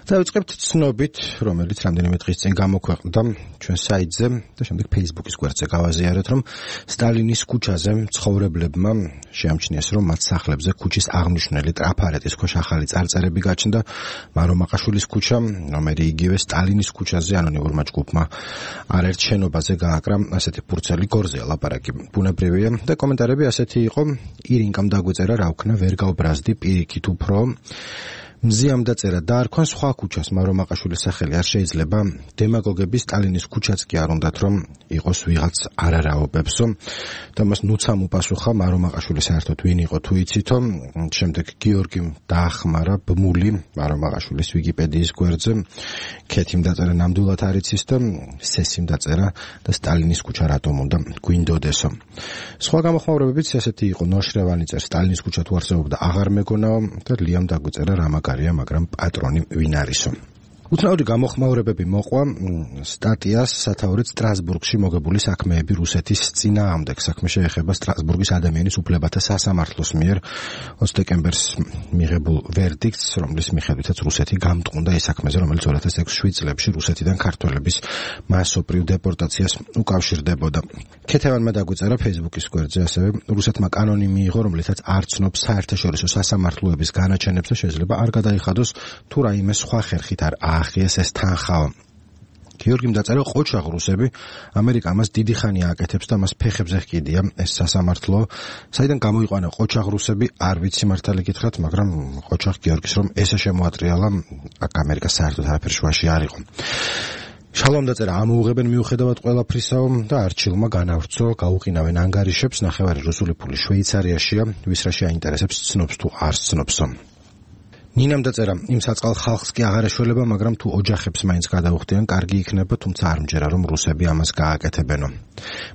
დავიწყებთ ცნობით, რომელიც რამდენიმე დღის წინ გამოქვეყნდა ჩვენ საიტზე და შემდეგ Facebook-ის გვერდზე გავაზიარეთ, რომ სტალინის ქუჩაზე მცხოვრებლებმა შეამჩნიეს, რომ მათ სახლებზე ქუჩის აღმნიშვნელი ტრაფარეტის ქვეშ ახალი წარწერები გაჩნდა. მარომაყაშვილის ქუჩა, რომელიც იგივე სტალინის ქუჩაზე ანონიმურმა ჯგუფმა არაერთ შენობაზე გააკრა ასეთი ფურცელი გორზია ლაპარაკი. ბუნებრივია და კომენტარები ასეთი იყო: ირინკამ დაგვეწერა რა ვქნა, ვერ გავბრაზდი, პირიქით უფრო მზიამ დაწერა დაარქვან სხვა ქუჩას მარომაყაშვილის სახელი არ შეიძლება. დემაგოგები სტალინის ქუჩაც კი არ უნდათ რომ იყოს ვიღაც არარაობებსო. და მას ნუცამ უპასუხა მარომაყაშვილი საერთოდ ვინ იყო თუ იცითო. შემდეგ გიორგიმ დაახმარა ბმული მარომაყაშვილის ვიკიპედიის გვერდზე. ქეთიმ დაწერა ნამდვილად არ იცის და სესიმ დაწერა და სტალინის ქუჩა რატომ უნდა გვინდოდესო. სხვა გამოხმაურებებიც ასეთი იყო: ნოშრევანი წერს სტალინის ქუჩა თუ არსებობდა აღარ მეგონაო და ლიამ დაგვეწერა რამაგარია, მაგრამ პატრონი ვინ არისო. უცნაური გამოხმაურებები მოყვა სტატიას სათაურით სტრასბურგში მოგებული საქმეები რუსეთის წინააღმდეგ. საქმე შეეხება სტრასბურგის ადამიანის უფლებათა სასამართლოს მიერ 20 დეკემბერს მიღებულ ვერდიქტს, რომლის მიხედვითაც რუსეთი გამტყუნდა ეს საქმეზე, რომელიც 2006 წლებში რუსეთიდან ქართველების მასობრივ დეპორტაციას უკავშირდებოდა. ქეთევანმა დაგვეწერა Facebook-ის გვერდზე ასევე: რუსეთმა კანონი მიიღო, რომლითაც არ ცნობს საერთაშორისო სასამართლოების განაჩენებს და შეიძლება არ გადაიხადოს თუ რაიმე სხვა ხერხით არ აახიეს ეს თანხაო. გიორგიმ დაწერა: ყოჩაღ რუსები, ამერიკა მას დიდი ხანი აკეთებს და მას ფეხებზე ჰკიდია ეს სასამართლო. საიდან გამოიყვანა ყოჩაღ რუსები არ ვიცი მართალი გითხრათ, მაგრამ ყოჩაღ გიორგის რომ ესე შემოატრიალა, აქ ამერიკა საერთოდ არაფერ შუაში არ იყო. შალომ დაწერა: ამოუღებენ მიუხედავად ყველაფრისაო და არჩილმა განავრცო, გაუყინავენ ანგარიშებს, ნახევარი რუსული ფული შვეიცარიაშია, ვის რა შეაინტერესებს ცნობს თუ არ ცნობსო. ნინამ დაწერა: იმ საწყალ ხალხს კი აღარ ეშველება, მაგრამ თუ ოჯახებს მაინც გადაუხდიან, კარგი იქნება, თუმცა არ მჯერა რომ რუსები ამას გააკეთებენო.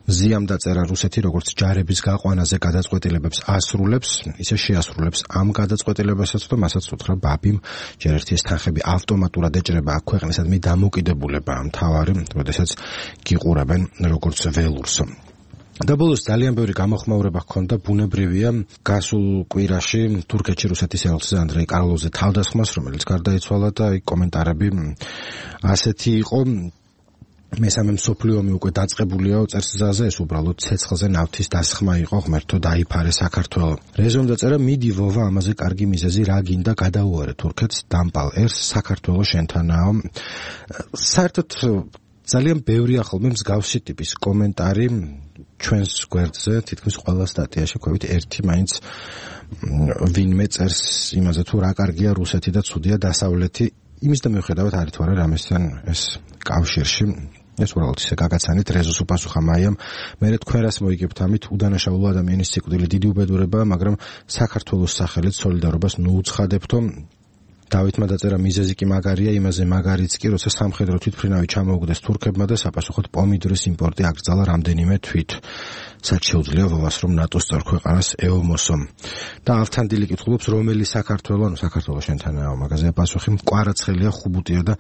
მზიამ დაწერა: რუსეთი როგორც ჯარების გაყვანაზე გადაწყვეტილებებს ასრულებს, ისე შეასრულებს ამ გადაწყვეტილებასაც და მასაც უთხრა ბაბიმ, ჯერ ერთი ეს თანხები ავტომატურად ეჭრება აქ ქვეყნისადმი დამოუკიდებულება, მთავარი, როდესაც გიყურებენ როგორც ველურსო. და ბოლოს ძალიან ბევრი გამოხმაურება ჰქონდა, ბუნებრივია, გასულ კვირაში თურქეთში რუსეთის ელჩის ანდრეი კარლოვზე თავდასხმას, რომელიც გარდაიცვალა და კომენტარები ასეთი იყო: მესამე მსოფლიო ომი უკვე დაწყებულია წერს ზაზე, ეს უბრალოდ ცეცხლზე ნავთის დასხმა იყო, ღმერთო დაიფარე საქართველო. რეზომ დაწერა: მიდი ვოვა, ამაზე კარგი მიზეზი რა გინდა, გადაუარე თურქეთს, დამპალ ერს, საქართველო შენთანაო. საერთოდ ძალიან ბევრია ხოლმე მსგავსი ტიპის კომენტარი ჩვენს გვერდზე, თითქმის ყველა სტატიაში ხვევით ერთი მაინც ვინმე წერს იმაზე თუ რა კარგია რუსეთი და ცუდია დასავლეთი, იმის და მიუხედავად არის თუ არა რამესთან ეს კავშირში. ეს უბრალოდ ისე გაგაცანით. რეზოს უპასუხა მაიამ: მერე თქვენ რას მოიგებთ ამით, უდანაშაულო ადამიანის სიკვდილი დიდი უბედურებაა, მაგრამ საქართველოს სახელით სოლიდარობას ნუ უცხადებთო. დავითმა დაწერა: მიზეზი კი მაგარია, იმაზე მაგარიც კი, როცა სამხედრო თვითმფრინავი ჩამოუგდეს თურქებმა და საპასუხოდ პომიდორის იმპორტი აკრძალა რამდენიმე თვით. სად შეუძლია ვოვას რომ ნატოს წევრ-ქვეყანას ეომოსო. და ავთანდილი კითხულობს: რომელი საქართველო, ანუ საქართველო შენთანაა, მაგაზე პასუხი: მკვარაცხელია, ხუბუტია და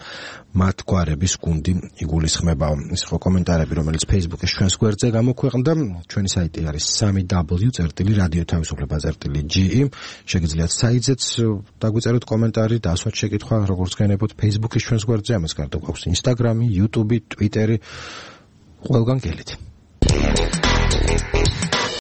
მათ გვარების გუნდი იგულისხმებაო. ეს იყო კომენტარები, რომელიც Facebook-ის ჩვენს გვერდზე გამოქვეყნდა. ჩვენი საიტი არის 3w.radio-თავისუფლება.ge. შეგიძლიათ საიტზეც დაგვიწეროთ კომენტარი, დასვათ შეკითხვა, როგორც გენებოთ Facebook-ის ჩვენს გვერდზე, ამას გარდა გვაქვს Instagram, YouTube, Twitter, ყველგან გელით.